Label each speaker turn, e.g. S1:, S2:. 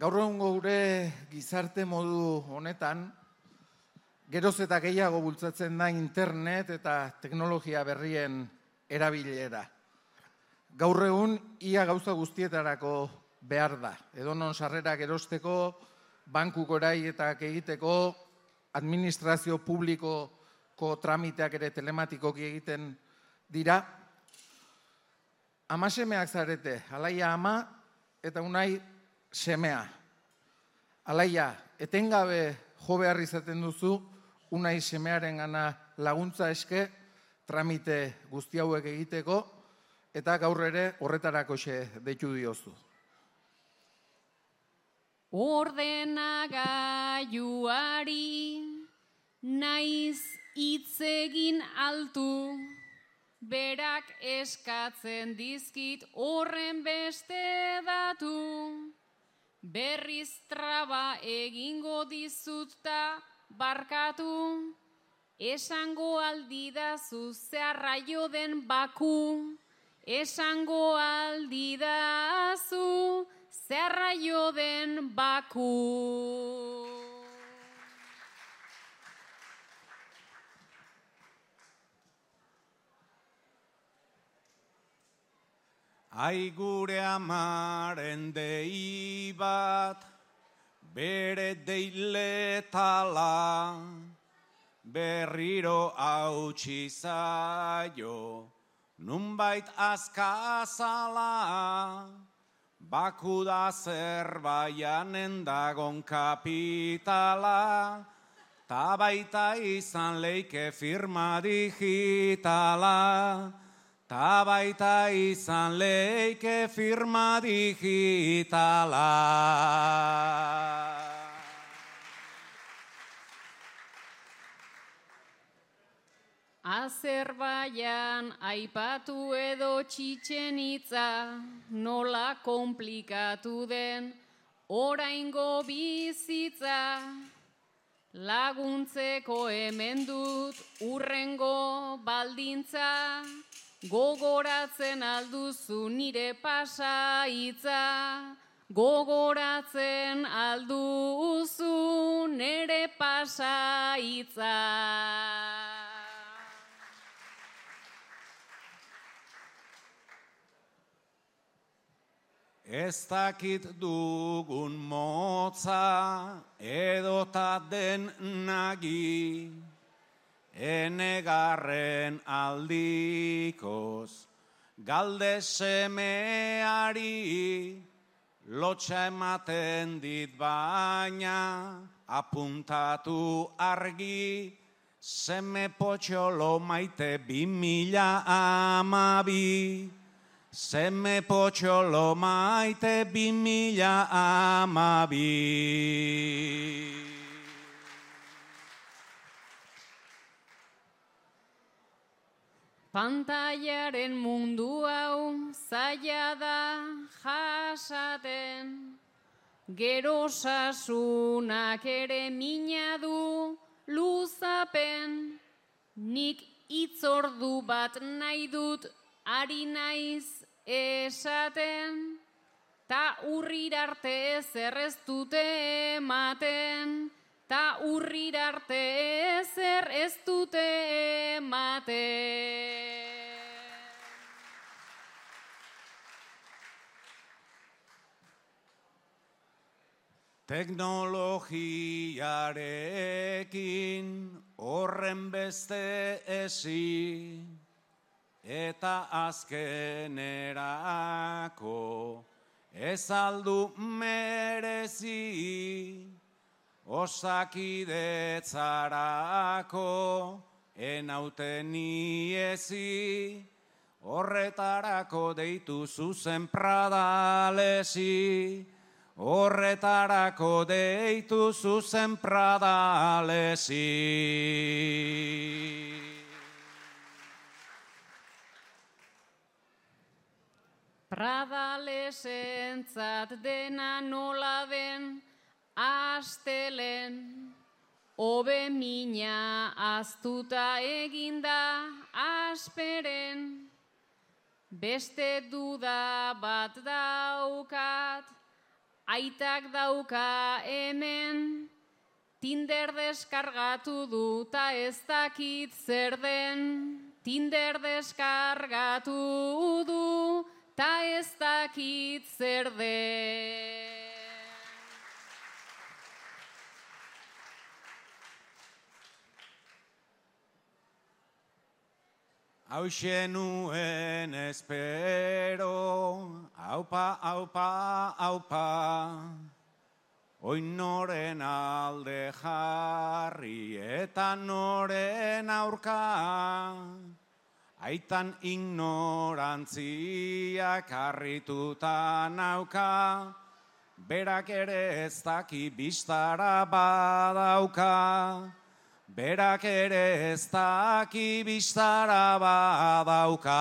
S1: Gaur egungo gure gizarte modu honetan, geroz eta gehiago bultzatzen da internet eta teknologia berrien erabilera. Gaur egun ia gauza guztietarako behar da. Edonon sarrerak erosteko, banku goraietak egiteko, administrazio publikoko tramiteak ere telematikoki egiten dira. Ama-semeak zarete, Alaia ama eta Unai semea. Alaia, etengabe jo behar izaten duzu, Unai semearengana laguntza eske, tramite guzti hauek egiteko, eta gaur ere horretarakoxe deitu diozu.
S2: Ordenagailuari naiz hitz egin altu, berak eskatzen dizkit horren beste datu. Berriz traba egingo dizut ta barkatu, esango aldidazu zeharraio den baku, esango aldidazu zeharraio den baku.
S3: Ai gure amaren dei bat, bere deiletala, berriro hautsi zaio, nunbait azkazala, baku da Zerbaianen dagon kapitala, ta baita izan leike firma digitala, ta baita izan leike firma digitala.
S2: Azerbaian aipatu edo Txitxenitza, nola komplikatu den oraingo bizitza. Laguntzeko hemen dut urrengo baldintza, gogoratzen alduzu nire pasaitza, gogoratzen alduzu nire pasaitza.
S3: Ez dakit dugun motza edota den nagi, enegarren aldikoz, galde semeari, lotxa ematen dit baina, apuntatu argi, seme potxolo maite 2012. Seme potxolo maite 2012.
S2: Pantailaren mundu hau zaila da jasaten, gero sasunak ere mina du luzapen, nik hitzordu bat nahi dut ari naiz esaten, ta urrirarte ezer ez dute ematen, ta urrirarte ezer ez dute ematen.
S3: Teknologiarekin horren beste ezi, eta azkenerako ez aldu merezi, osakidetzarako enauten iezi, horretarako deitu zuzen Pradalesi, horretarako deitu zuzen Pradalesi.
S2: Pradalesentzat dena nola den astelen, hobe mina aztuta eginda asperen. Beste duda bat daukat, Aitak dauka hemen, Tinder deskargatu du ta ez dakit zer den. Tinder deskargatu du ta ez dakit zer den.
S3: Hauxe nuen espero, aupa, aupa, aupa, oin noren alde jarri eta noren aurka, aitan ignorantziak harrituta nauka, berak ere ez daki bistara badauka. Berak ere ez daki bistara badauka.